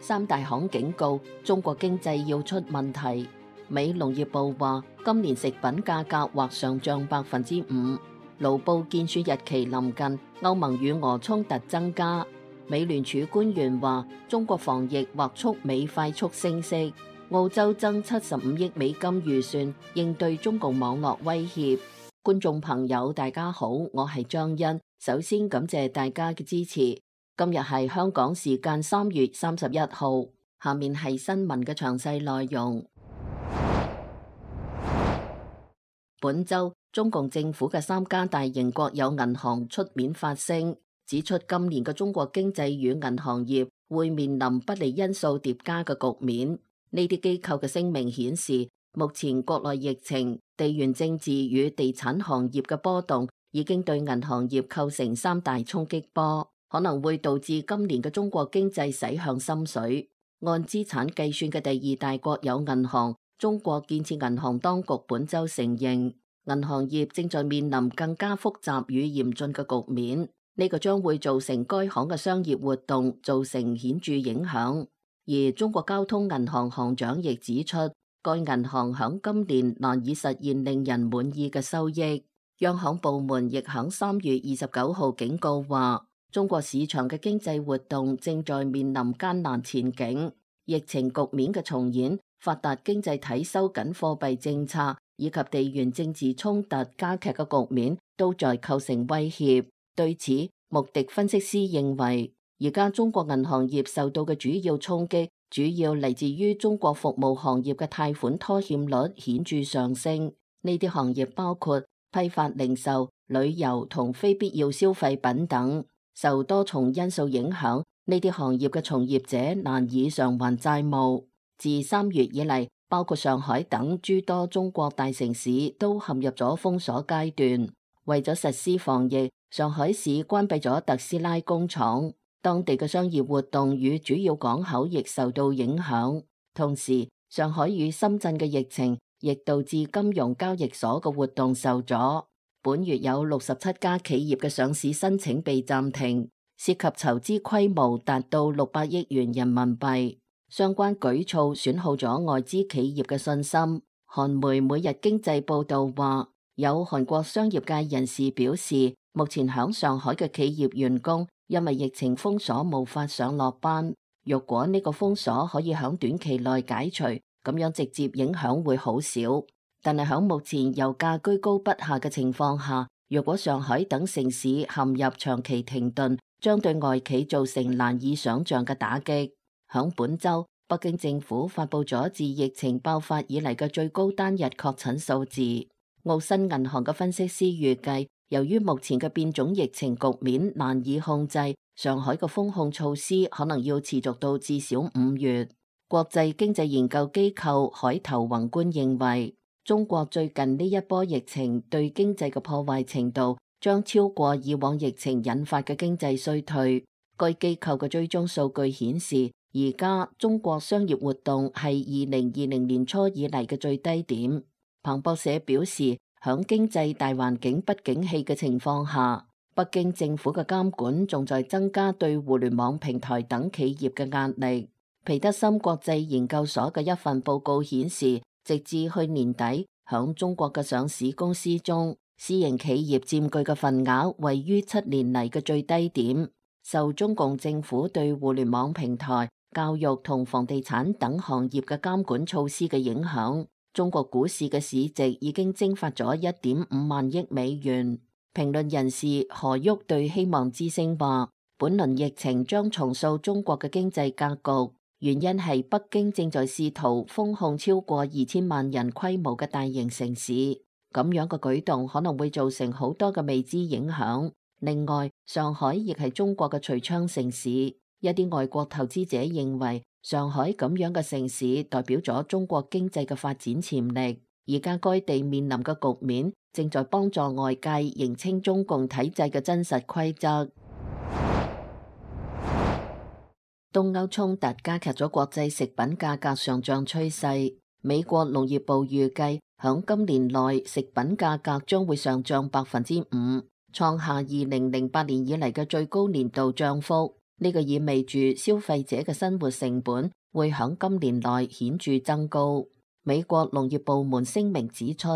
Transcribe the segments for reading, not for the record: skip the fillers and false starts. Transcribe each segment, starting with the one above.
三大行警告中國經濟要出問題。美農業部話，今年食品價格或上漲5%。盧布建樹日期臨近，歐盟與俄衝突增加。美聯儲官員話，中國防疫或促美快速升息。澳洲增75億美金預算應對中共網絡威脅。觀眾朋友，大家好，我係張欣。首先感謝大家嘅支持。今日係香港時間3月31號，下面係新聞嘅詳細內容。本週，中共政府嘅3家大型國有銀行出面發聲，指出今年嘅中國經濟與銀行業會面臨不利因素疊加嘅局面。呢啲機構嘅聲明顯示，目前國內疫情、地緣政治與地產行業嘅波動已經對銀行業構成3大衝擊波，可能會導致今年嘅中國經濟駛向深水。按資產計算嘅第2大國有銀行中國建設銀行當局本週承認，銀行業正在面臨更加複雜與嚴峻嘅局面，呢個將會造成該行嘅商業活動造成顯著影響。而中國交通銀行行長亦指出，該銀行響今年難以實現令人滿意嘅收益。央行部門亦響3月29號警告話，中國市場嘅經濟活動正在面臨艱難前景，疫情局面嘅重演、發達經濟體收緊貨幣政策以及地緣政治衝突加劇嘅局面都在構成威脅。對此，穆迪分析師認為，而家中國銀行業受到嘅主要衝擊，主要嚟自於中國服務行業嘅貸款拖欠率顯著上升。呢啲行業包括批發零售、旅遊同非必要消費品等，受多重因素影響，呢啲行業嘅從業者難以償還債務。自3月以嚟，包括上海等諸多中國大城市都陷入咗封鎖階段。為咗實施防疫，上海市關閉咗特斯拉工廠，當地嘅商業活動與主要港口亦受到影響。同時，上海與深圳嘅疫情亦導致金融交易所嘅活動受阻。本月有67家企業嘅上市申請被暫停，涉及籌資規模達到600億元人民幣。相關舉措損耗咗外資企業嘅信心。韓媒每日經濟報道話，有韓國商業界人士表示，目前響上海嘅企業員工因為疫情封鎖無法上落班。若果呢個封鎖可以響短期內解除，咁樣直接影響會好少。但係響目前油價居高不下嘅情況下，若果上海等城市陷入長期停頓，將對外企造成難以想象嘅打擊。響本週，北京政府發布咗自疫情爆發以嚟嘅最高單日確診數字。澳新銀行嘅分析師預計，由於目前嘅變種疫情局面難以控制，上海嘅封控措施可能要持續到至少5月。國際經濟研究機構海頭宏觀認為，中國最近呢一波疫情對經濟嘅破壞程度將超過以往疫情引發嘅經濟衰退。該機構嘅追蹤數據顯示，而家中國商業活動係2020年初以嚟嘅最低點。彭博社表示，響經濟大環境不景氣嘅情況下，北京政府嘅監管仲在增加對互聯網平台等企業嘅壓力。皮德森國際研究所嘅一份報告顯示，直至去年底，響中國嘅上市公司中，私營企業佔據嘅份額位於7年嚟嘅最低點。受中共政府對互聯網平台、教育同房地產等行業嘅監管措施嘅影響，中國股市嘅市值已經蒸發咗1.5萬億美元。評論人士何旭對希望之聲話，本輪疫情將重塑中國嘅經濟格局，原因係北京正在試圖封控超過2000萬人規模嘅大型城市，咁樣嘅舉動可能會造成好多嘅未知影響。另外，上海亦係中國嘅櫥窗城市，一啲外國投資者認為上海咁樣嘅城市代表咗中國經濟嘅發展潛力。而家該地面臨嘅局面正在幫助外界認清中共體制嘅真實規則。東歐衝突加劇咗國際食品價格上漲趨勢。美國農業部預計響今年內食品價格將會上漲5%，創下2008年以嚟嘅最高年度漲幅。呢個意味住消費者嘅生活成本會響今年內顯著增高。美國農業部門聲明指出，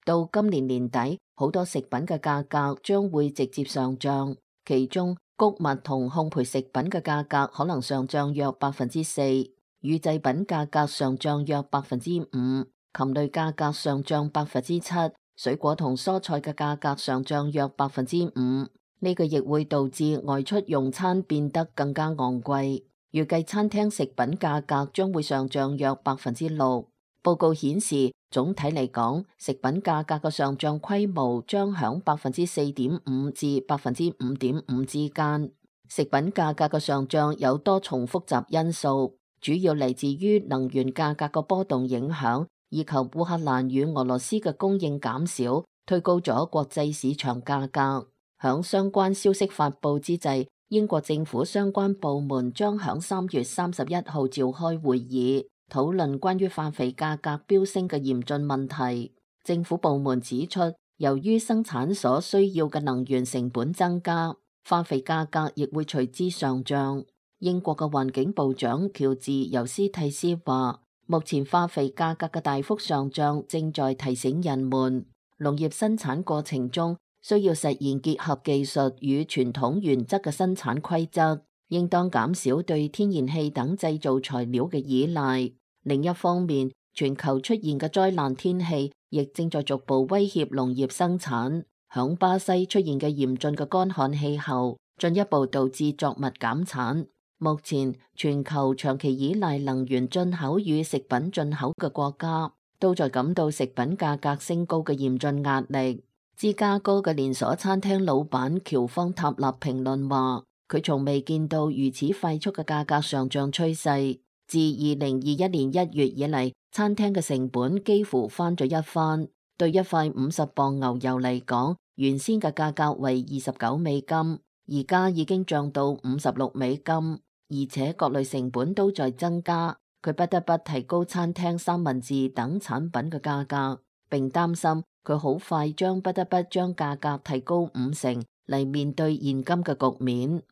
到今年年底，好多食品嘅價格將會直接上漲，其中穀物同烘焙食品嘅價格可能上漲約4%，乳製品價格上漲約5%，禽類價格上漲7%，水果同蔬菜嘅價格上漲約5%。呢個亦會導致外出用餐變得更加昂貴，預計餐廳食品價格將會上漲約6%。報告顯示，總體嚟講，食品價格嘅上漲規模將響4.5%至5.5%之間。食品價格嘅上漲有多重複雜因素，主要嚟自於能源價格嘅波動影響，以及烏克蘭與俄羅斯嘅供應減少，推高咗國際市場價格。響相關消息發佈之際，英國政府相關部門將響3月31號召開會議，討論關於化肥價格飆升嘅嚴峻問題。政府部門指出，由於生產所需要嘅能源成本增加，化肥價格亦會隨之上漲。英國嘅環境部長喬治尤斯蒂斯話，目前化肥價格嘅大幅上漲正在提醒人們，農業生產過程中需要實現結合技術與傳統原則嘅生產規則，應當減少對天然氣等製造材料嘅依賴。另一方面，全球出現嘅災難天氣亦正在逐步威脅農業生產。響巴西出現嘅嚴峻嘅乾旱氣候，進一步導致作物減產。目前，全球長期依賴能源進口與食品進口嘅國家，都在感到食品價格升高嘅嚴峻壓力。芝加哥嘅連鎖餐廳老闆喬方塔納評論話，佢從未見到如此快速嘅價格上漲趨勢。自2021年1月以嚟，餐廳嘅成本幾乎翻咗一番。對一塊50磅牛油嚟講，原先嘅價格為29美金，而家已經漲到56美金，而且各類成本都在增加。佢不得不提高餐廳三文治等產品嘅價格，並擔心佢好快將不得不將價格提高50%嚟面對現今嘅局面。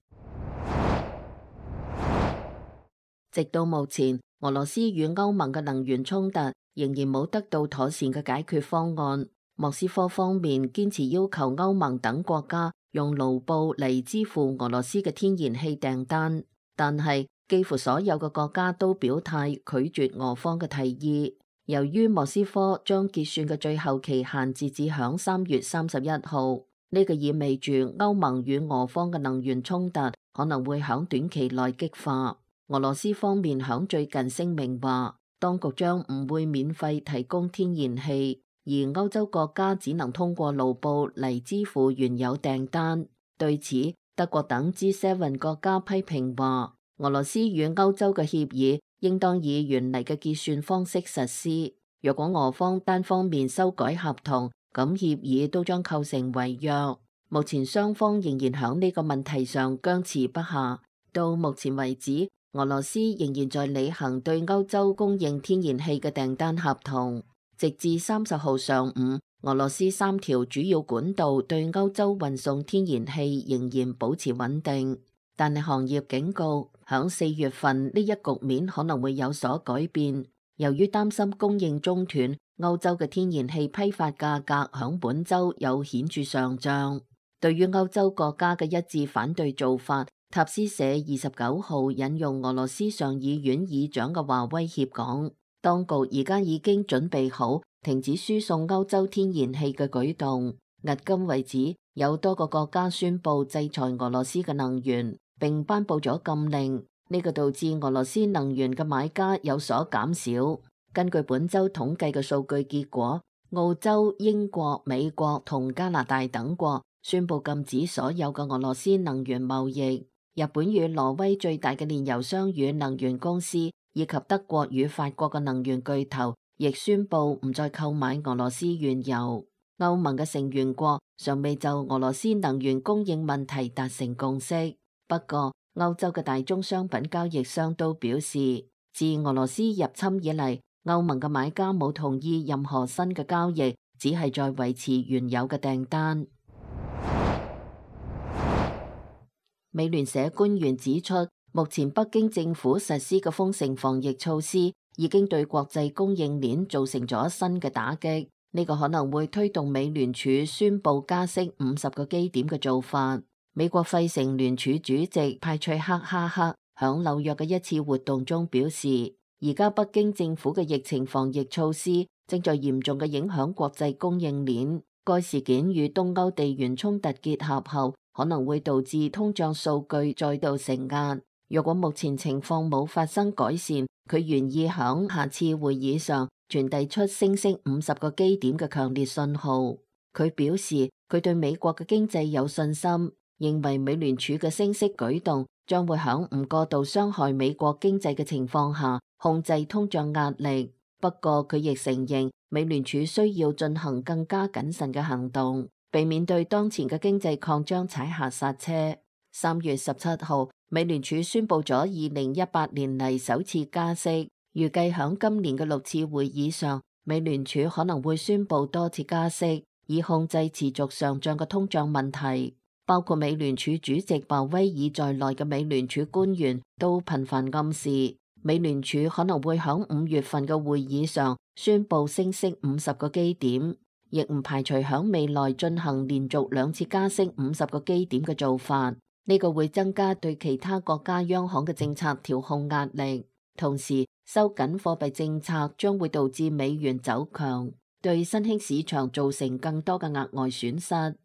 直到目前，俄羅斯與歐盟嘅能源衝突仍然冇得到妥善嘅解決方案。莫斯科方面堅持要求歐盟等國家用盧布嚟支付俄羅斯嘅天然氣訂單，但係幾乎所有嘅國家都表態拒絕俄方嘅提議。由於莫斯科將結算嘅最後期限截至響3月31號，呢個意味住歐盟與俄方嘅能源衝突可能會響短期內激化。俄羅斯方面響最近聲明話，當局將唔會免費提供天然氣，而歐洲國家只能通過盧布嚟支付原有訂單。對此，德國等 G7 國家批評話，俄羅斯與歐洲嘅協議應當以原嚟嘅結算方式實施。若果俄方單方面修改合同，咁協議都將構成違約。目前雙方仍然響呢個問題上僵持不下。到目前為止，俄羅斯仍然在履行對歐洲供應天然氣嘅訂單合同。直至30號上午，俄羅斯3條主要管道對歐洲運送天然氣仍然保持穩定，但係行業警告，響4月份呢一局面可能會有所改變。由於擔心供應中斷，歐洲嘅天然氣批發價格響本週有顯著上漲。對於歐洲國家嘅一致反對做法，塔斯社29號引用俄羅斯上議院議長嘅話威脅講，當局而家已經準備好停止輸送歐洲天然氣嘅舉動。迄今為止，有多個國家宣布制裁俄羅斯嘅能源，並頒布咗禁令。呢個導致俄羅斯能源嘅買家有所減少。根據本週統計嘅數據結果，澳洲、英國、美國同加拿大等國宣布禁止所有嘅俄羅斯能源貿易。日本與挪威最大嘅煉油商與能源公司，以及德國與法國嘅能源巨頭，亦宣布唔再購買俄羅斯原油。歐盟嘅成員國尚未就俄羅斯能源供應問題達成共識。不過，歐洲嘅大宗商品交易商都表示，自俄羅斯入侵以嚟，歐盟嘅買家冇同意任何新嘅交易，只係在維持原有嘅訂單。美聯社官員指出，目前北京政府實施嘅封城防疫措施已經對國際供應鏈造成咗新嘅打擊，呢個可能會推動美聯儲宣布加息50個基點嘅做法。美國費城聯儲主席派翠克哈克響紐約嘅一次活動中表示，而家北京政府嘅疫情防疫措施正在嚴重嘅影響國際供應鏈。該事件與東歐地緣衝突結合後，可能會導致通脹數據再度承壓。若果目前情況冇發生改善，佢願意響下次會議上傳遞出升息50個基點嘅強烈信號。佢表示，佢對美國嘅經濟有信心，認為美聯儲嘅升息舉動將會響唔過度傷害美國經濟嘅情況下控制通脹壓力。不過佢亦承認，美聯儲需要進行更加謹慎嘅行動，避免對當前嘅經濟擴張踩下剎車。3月17號，美聯儲宣布咗2018年嚟首次加息，預計響今年嘅6次會議上，美聯儲可能會宣布多次加息，以控制持續上漲嘅通脹問題。包括美聯儲主席鮑威爾在內嘅美聯儲官員都頻繁暗示，美聯儲可能會響5月份嘅會議上宣布升息50個基點，亦唔排除響未來進行連續2次加息50個基點嘅做法。呢個會增加對其他國家央行嘅政策調控壓力，同時收緊貨幣政策將會導致美元走強，對新興市場造成更多嘅額外損失。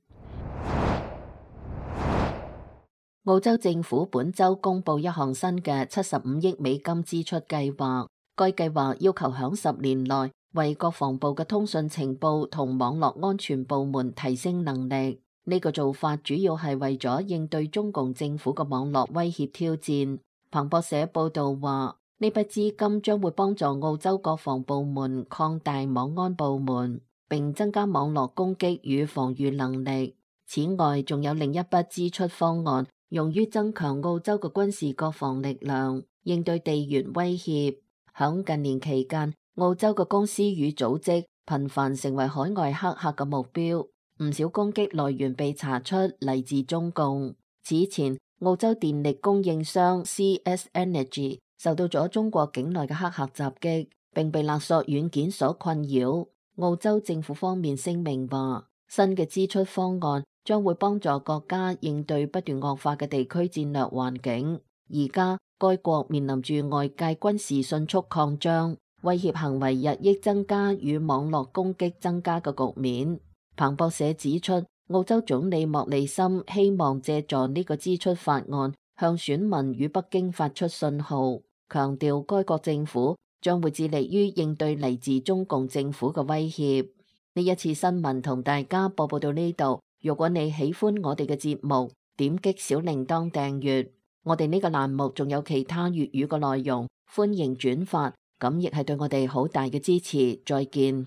澳洲政府本周公布一項新嘅75億美金支出計劃，該計劃要求響10年內為國防部嘅通訊情報同網絡安全部門提升能力。呢個做法主要係為咗應對中共政府嘅網絡威脅挑戰。彭博社報道話，呢筆資金將會幫助澳洲國防部門擴大網安部門，並增加網絡攻擊與防禦能力。此外，仲有另一筆支出方案，用於增強澳洲嘅軍事國防力量，應對地緣威脅。響近年期間，澳洲嘅公司與組織頻繁成為海外黑客嘅目標，唔少攻擊來源被查出嚟自中共。此前，澳洲電力供應商 CS Energy 受到咗中國境內嘅黑客襲擊，並被勒索軟件所困擾。澳洲政府方面聲明話，新嘅支出方案將會幫助國家應對不斷惡化嘅地區戰略環境。而家該國面臨住外界軍事迅速擴張、威脅行為日益增加與網絡攻擊增加嘅局面。彭博社指出，澳洲總理莫里森希望借助呢個支出法案向選民與北京發出信號，強調該國政府將會致力於應對嚟自中共政府嘅威脅。呢一次新聞同大家播報到呢度。如果你喜歡我哋嘅節目，點擊小鈴鐺訂閱。我哋呢個欄目仲有其他粵語嘅內容，歡迎轉發，咁亦係對我哋好大嘅支持。再見。